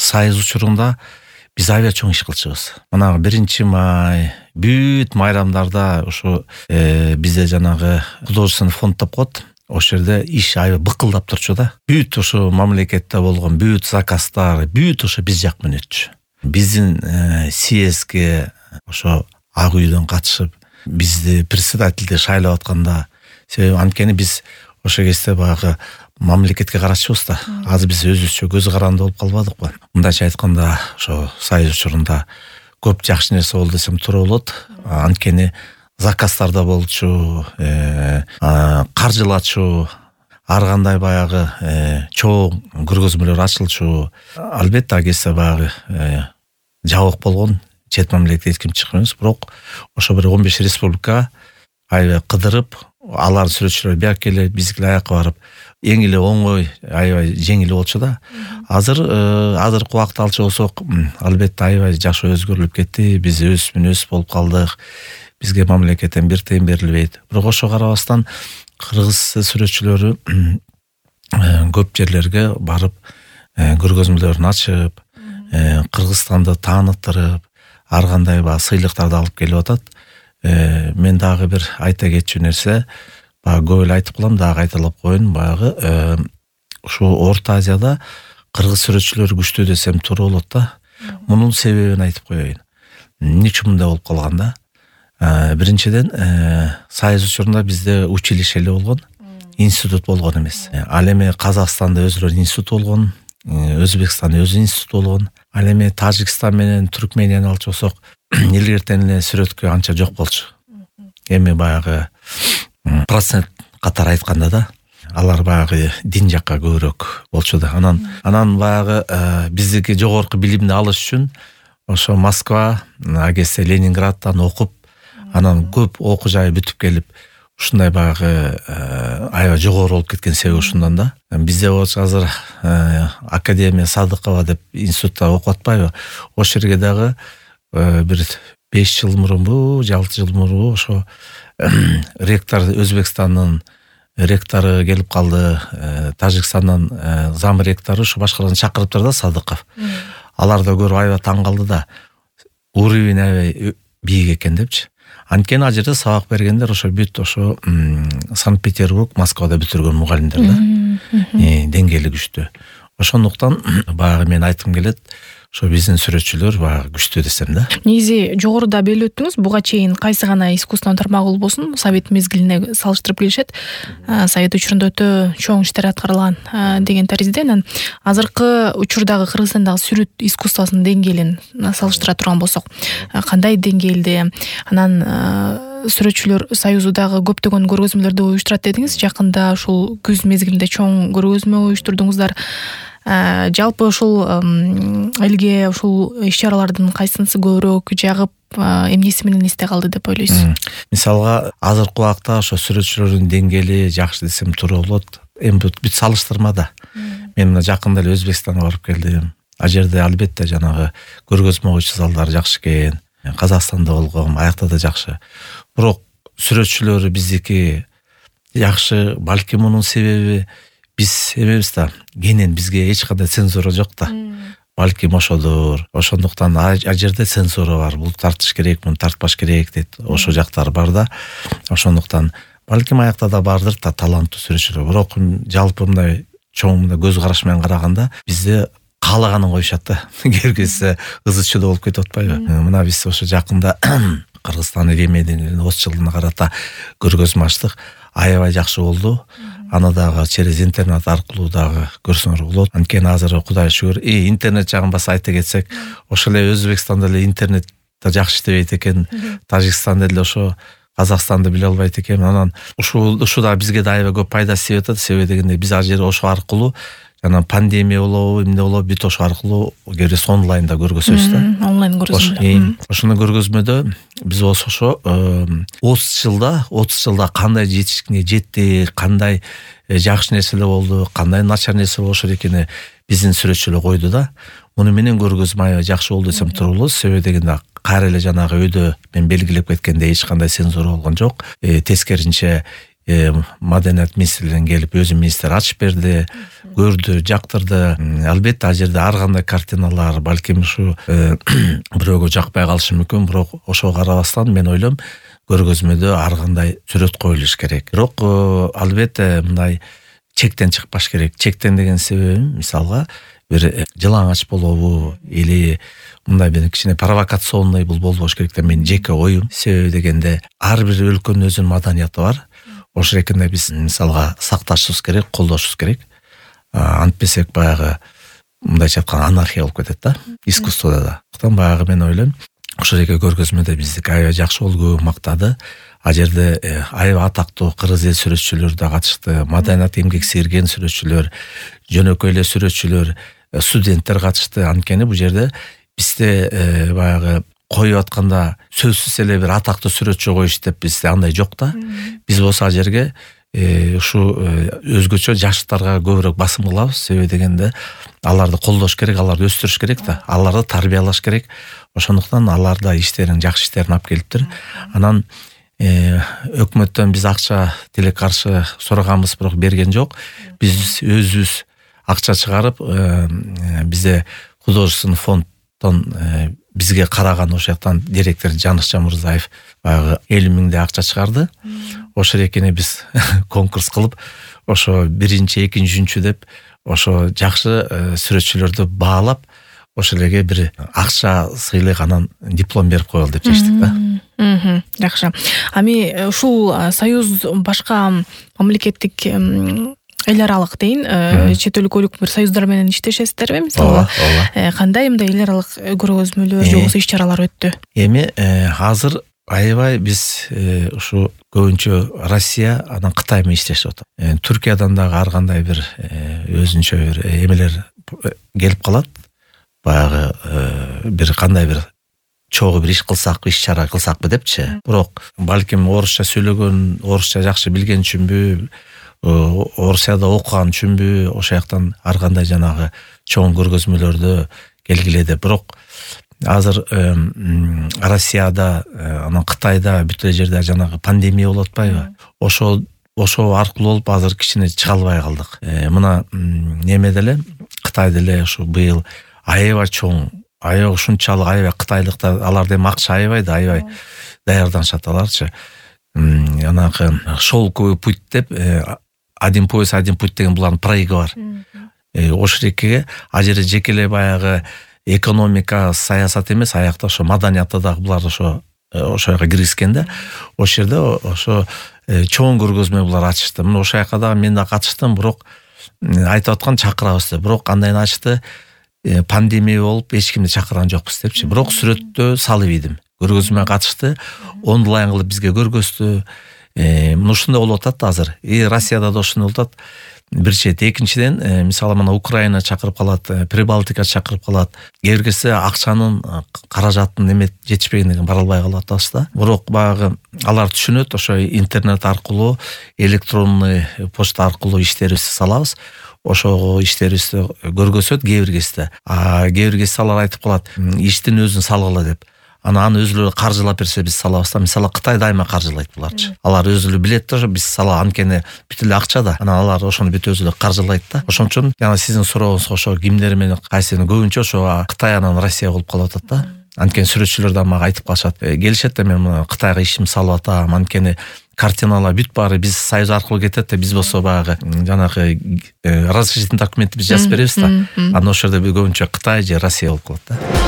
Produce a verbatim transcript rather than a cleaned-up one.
Союз учурунда биз аябай чоң иш кылчубуз. Мына биринчи май, бүт майрамдарда ошо бизде жанагы художественный фонд деп коет. Ошол жерде иш аябай быкылдап турчу да. Бүт ошо мамлекетте болгон бүт заказдар, бүт ошо биз жак менен өтчү. Биздин съездге ошо Ак үйдөн катышып, бизди председательди шайлап атканда, себеби анткени биз ошол кезде баягы мамлекетке карашчыбыз да. Азыр биз өзүбүзчө көз каранды болуп калбадыкпы? Мындайча айтканда, ошо Союз учурунда көп жакшы нерсе болду десем туура болот. Анткени заказдар да болчу, каржылачу, ар кандай баягы чоң көргөзмөлөр ачылчу. Албетте ал кезде баягы жабык болгон, чет мамлекетке эч ким чыккан эмес, бирок ошо бир он беш республика аябай кыдырып, алардын сүрөтчүлөрү бияк келип, биздики аякка барып, эң эле оңой, аябай жеңил болчу да. Азыр азыркы убакытты алчу болсок, албетте аябай жакшы өзгөрүлүп кетти. Биз өсүп өсүп болуп калдык. Бизге мамлекеттен бир тыйын берилбейт. Бирок ошо карабастан кыргыз сүрөтчүлөрү көп жерлерге барып, көргөзмөлөрүн ачып, Кыргызстанды тааныттырып, ар кандай баягы сыйлыктарды алып келип атат. Мен дагы бир айта кетчү нерсе, баягы көп эле айтып калам, дагы кайталап коеюн, баягы ушу Орто Азияда кыргыз сүрөтчүлөрү күчтүү десем туура болот да. Мунун себебин айтып коеюн. Эмне үчүн мындай болуп калган да? Биринчиден, Союз учурунда бизде училище эле болгон, институт болгон эмес. Ал эми Казакстанда өзүрө институт болгон, Өзбекстанда өзү институт болгон. Ал эми Тажикстан менен Түркменияны алчу болсок, илгертен эле сүрөткө анча жок болчу. Эми баягы процент катары айтканда да, алар баягы дин жакка көбүрөөк болчу да. Анан анан баягы биздики жогорку билимди алыш үчүн ошо Москва, агесе Ленинградтан окуп, анан көп окуу жайы бүтүп келип, ушундай баягы аябай жогору болуп кеткен себеби ушундан да. Бизде болчу азыр Академия Садыкова деп институтта окуп атпайбы? Ошол жерге дагы бир беш жыл мурунбу, алты жыл мурунбу ошо ректор Өзбекстандын ректору келип калды, Тажикстандан зам ректору ушу башкаларын чакырыптыр да, Садыков. Алар да көрүп аябай таң калды да. Уровень аябай бийик экен депчи. Анткени ал жерде сабак бергендер ошо бүт ошо Санкт-Петербург, Москвада бүтүргөн мугалимдер да. Деңгээли күчтүү. Ошондуктан баягы мен айткым келет, ошо биздин сүрөтчүлөр баягы күчтүү десем да. Негизи жогоруда белип өттүңүз, буга чейин кайсы гана искусственный тармагы болбосун, Совет мезгилине салыштырып келишет. Совет учурунда өтө чоң иштер аткарылган деген таризде, анан азыркы учурдагы Кыргызстандагы сүрөт искусствосунун деңгээлин салыштыра турган болсок, кандай деңгээлде? Анан сүрөтчүлөр союзу дагы көптөгөн көргөзмөлөрдү уюштурат дедиңиз. Жакында ушул күз мезгилинде чоң көргөзмө уюштурдуңуздар. Жалпы ушул элге ушул иш-чаралардын кайсынысы көбүрөөк жагып, эмнеси менен эсте калды деп ойлойсуз? Мисалга, азыркы убакта ошо сүрөтчүлөрдүн деңгээли жакшы десем туура болот. Эми бүт салыштырмада. Мен мына жакында эле Өзбекстанга барып келдим. Ал жерде албетте жанагы көргөзмө коюучу залдар жакшы экен. Казакстанда болгом, аякта да жакшы. Бирок сүрөтчүлөрү биздики жакшы, балки мунун себеби биз эмебиз да, кенен бизге эч кандай цензура жок да. Балким ошодур. Ошондуктан ал жерде цензура бар. Бул тартыш керек, муну тартпаш керек дейт. Ошо жактар бар да. Ошондуктан балким аякта да бардыр да таланттуу сүрөтчүлөр. Бирок жалпы мындай чоң мындай көз караш менен караганда бизде каалаганын коюшат да. Келгенсе ызычуу да болуп кетип атпайбы? Мына биз ошо жакында Кыргызстан Ремедин отуз жылына карата көргөзмө ачтык. Аябай жакшы болду. Аны дагы через интернет аркылуу дагы көрсөңөр болот. Анткени азыр Кудай шүгүр, и интернет жагын баса айта кетсек, ошол эле Өзбекстанда эле интернет да жакшы иштебейт экен. Тажикстанда эле ошо Казакстанды биле албайт экен. Анан ушул ушу да бизге да аябай көп пайдасы тиеп атат. Себеби дегенде биз ал жерде ошо аркылуу жана пандемия болобу, эмне болобу, бүт ошо аркылуу керес онлайнда көргөзөбүз да. Онлайн көргөзмө. Ошону көргөзмөдө биз ошо отуз жылда, отуз жылда кандай жетишкине жеттик, кандай жакшы нерселер болду, кандай начар нерсе болушу экени биздин сүрөтчүлөр койду да. Муну менен көргөзмө аябай жакшы болду десем туура болот. Себеби дегенде кайра эле жанагы өйдө мен белгилеп кеткендей эч кандай цензура болгон жок. Тескеринче Маданият министрлигинен келип өзү министр ачып берди. көрдү, жактырды. Албетте ал жерде ар кандай картиналар балким ушу бирөөгө жакпай калышы мүмкүн, бирок ошого карабастан мен ойлойм көргөзмөдө ар кандай сүрөт коюлуш керек. Бирок албетте мындай чектен чыкпаш керек. Чектен деген себебим мисалга бир жылаңач болобу или мындай бир кичине провокационный бул болбош керек деп менин жеке оюм. Себеби дегенде ар бир өлкөнүн өзүнүн маданияты бар. Ошол экенде биз мисалга сакташыбыз керек, колдошубуз керек. Антпесек баягы мындайча айтканда анархия болуп кетет да, искусстводо да. Ошондон баягы мен ойлойм, ошол эки көргөзмөдө биздики аябай жакшы болду, мактады. Ал жерде аябай атактуу кыргыз эл сүрөтчүлөрү да катышты, маданият эмгек сиңирген сүрөтчүлөр, жөнөкөй эле сүрөтчүлөр, студенттер катышты. Анткени бул жерде бизде баягы коюп атканда сөзсүз эле бир атактуу сүрөтчү коюш деп бизде андай жок да. Биз болсо ал жерге ушу өзгөчө жаштарга көбүрөөк басым кылабыз. Себеби дегенде аларды колдош керек, аларды өстүрүш керек да, аларды тарбиялаш керек. Ошондуктан алар да иштерин, жакшы иштерин алып келиптир. Анан өкмөттөн биз акча тиле каршы сураганбыз, бирок берген жок. Биз өзүбүз акча чыгарып, бизде художественный фонддон бизге караган ошол жактан директор Жаныш Жамырзаев баягы элүү миңдей акча чыгарды. Ошол экени биз конкурс кылып, ошо биринчи, экинчи, үчүнчү деп ошо жакшы сүрөтчүлөрдү баалап, ошол элге бир акча сыйлык, анан диплом берип коелу деп чечтик да. Жакшы. Ами ушул союз башка мамлекеттик эл аралык дейин, чет өлкөлүк бир союздар менен иштешесиздерби? Мисалы, кандай мындай эл аралык көргөзмөлөр же болбосо иш-чаралар өттү? Эми азыр аябай биз ушу көбүнчө Россия, анан Кытай менен иштешип атат. Түркиядан дагы ар кандай бир өзүнчө бир эмелер келип калат. Баягы бир кандай бир чогуу бир иш кылсакпы, иш-чара кылсакпы депчи. Бирок балким орусча сүйлөгөн, орусча жакшы билген үчүнбү, Орусияда окуган үчүнбү, ошол жактан ар кандай жанагы чоң көргөзмөлөрдө келгиле деп. Бирок азыр Россияда, анан Кытайда бүт эле жерде жанагы пандемия болуп атпайбы? Ошол ошол аркылуу болуп азыр кичине чыга албай калдык. Мына немеде эле, Кытайда эле ушу быйыл аябай чоң, аябай ушунчалык аябай кытайлыктар, алар эми акча аябай да, аябай даярданышат аларчы. Анакы шелковый путь деп, один пояс, один путь деген булардын проеги бар. Ошол экеге ал жерде жеке эле баягы экономика, саясат эмес, аякта ошо маданияты дагы булар ошо ошого киргизген да. Ошол жерде ошо чоң көргөзмө булар ачышты. Мына ошол жака дагы мен да катыштым, бирок айтып аткан чакырабыз деп. Бирок андайын ачты, пандемия болуп эч кимди чакырган жокпуз депчи. Бирок сүрөттө салып ийдим. Көргөзмө катышты, онлайн кылып бизге көргөздү. Мына ушундай болуп атат азыр. И Россияда да ушундай болуп атат. Бир чет, экинчиден, мисалы мына Украина чакырып калат, Прибалтика чакырып калат. Кээ бир кезде акчанын, каражаттын эме жетишпегенден бара албай калып атабыз да. Бирок баягы алар түшүнөт, ошо интернет аркылуу, электронный почта аркылуу иштерибизди салабыз. Ошого иштерибизди көргөзөт кээ бир кезде. А кээ бир кезде алар айтып калат, иштин өзүн салгыла деп. Анан аны өзүлөрү каржылап берсе биз салабыз да. Мисалы Кытай дайыма каржылайт буларчы. Алар өзүлөрү билет да, биз сала, анткени бүт эле акча да. Анан алар ошону бүт өзүлөрү каржылайт да. Ошон үчүн жана сиздин сурооңузга ошо кимдер менен кайсыны көбүнчө ошо Кытай анан Россия болуп калып атат да. Анткени сүрөтчүлөр да мага айтып калышат. Келишет да, мен Кытайга ишим салып атам, анткени картиналар бүт баары биз союз аркылуу кетет да, биз болсо баягы жанагы разрешительный документти биз жазып беребиз да. Анан ошол жерде көбүнчө Кытай же Россия болуп калат да.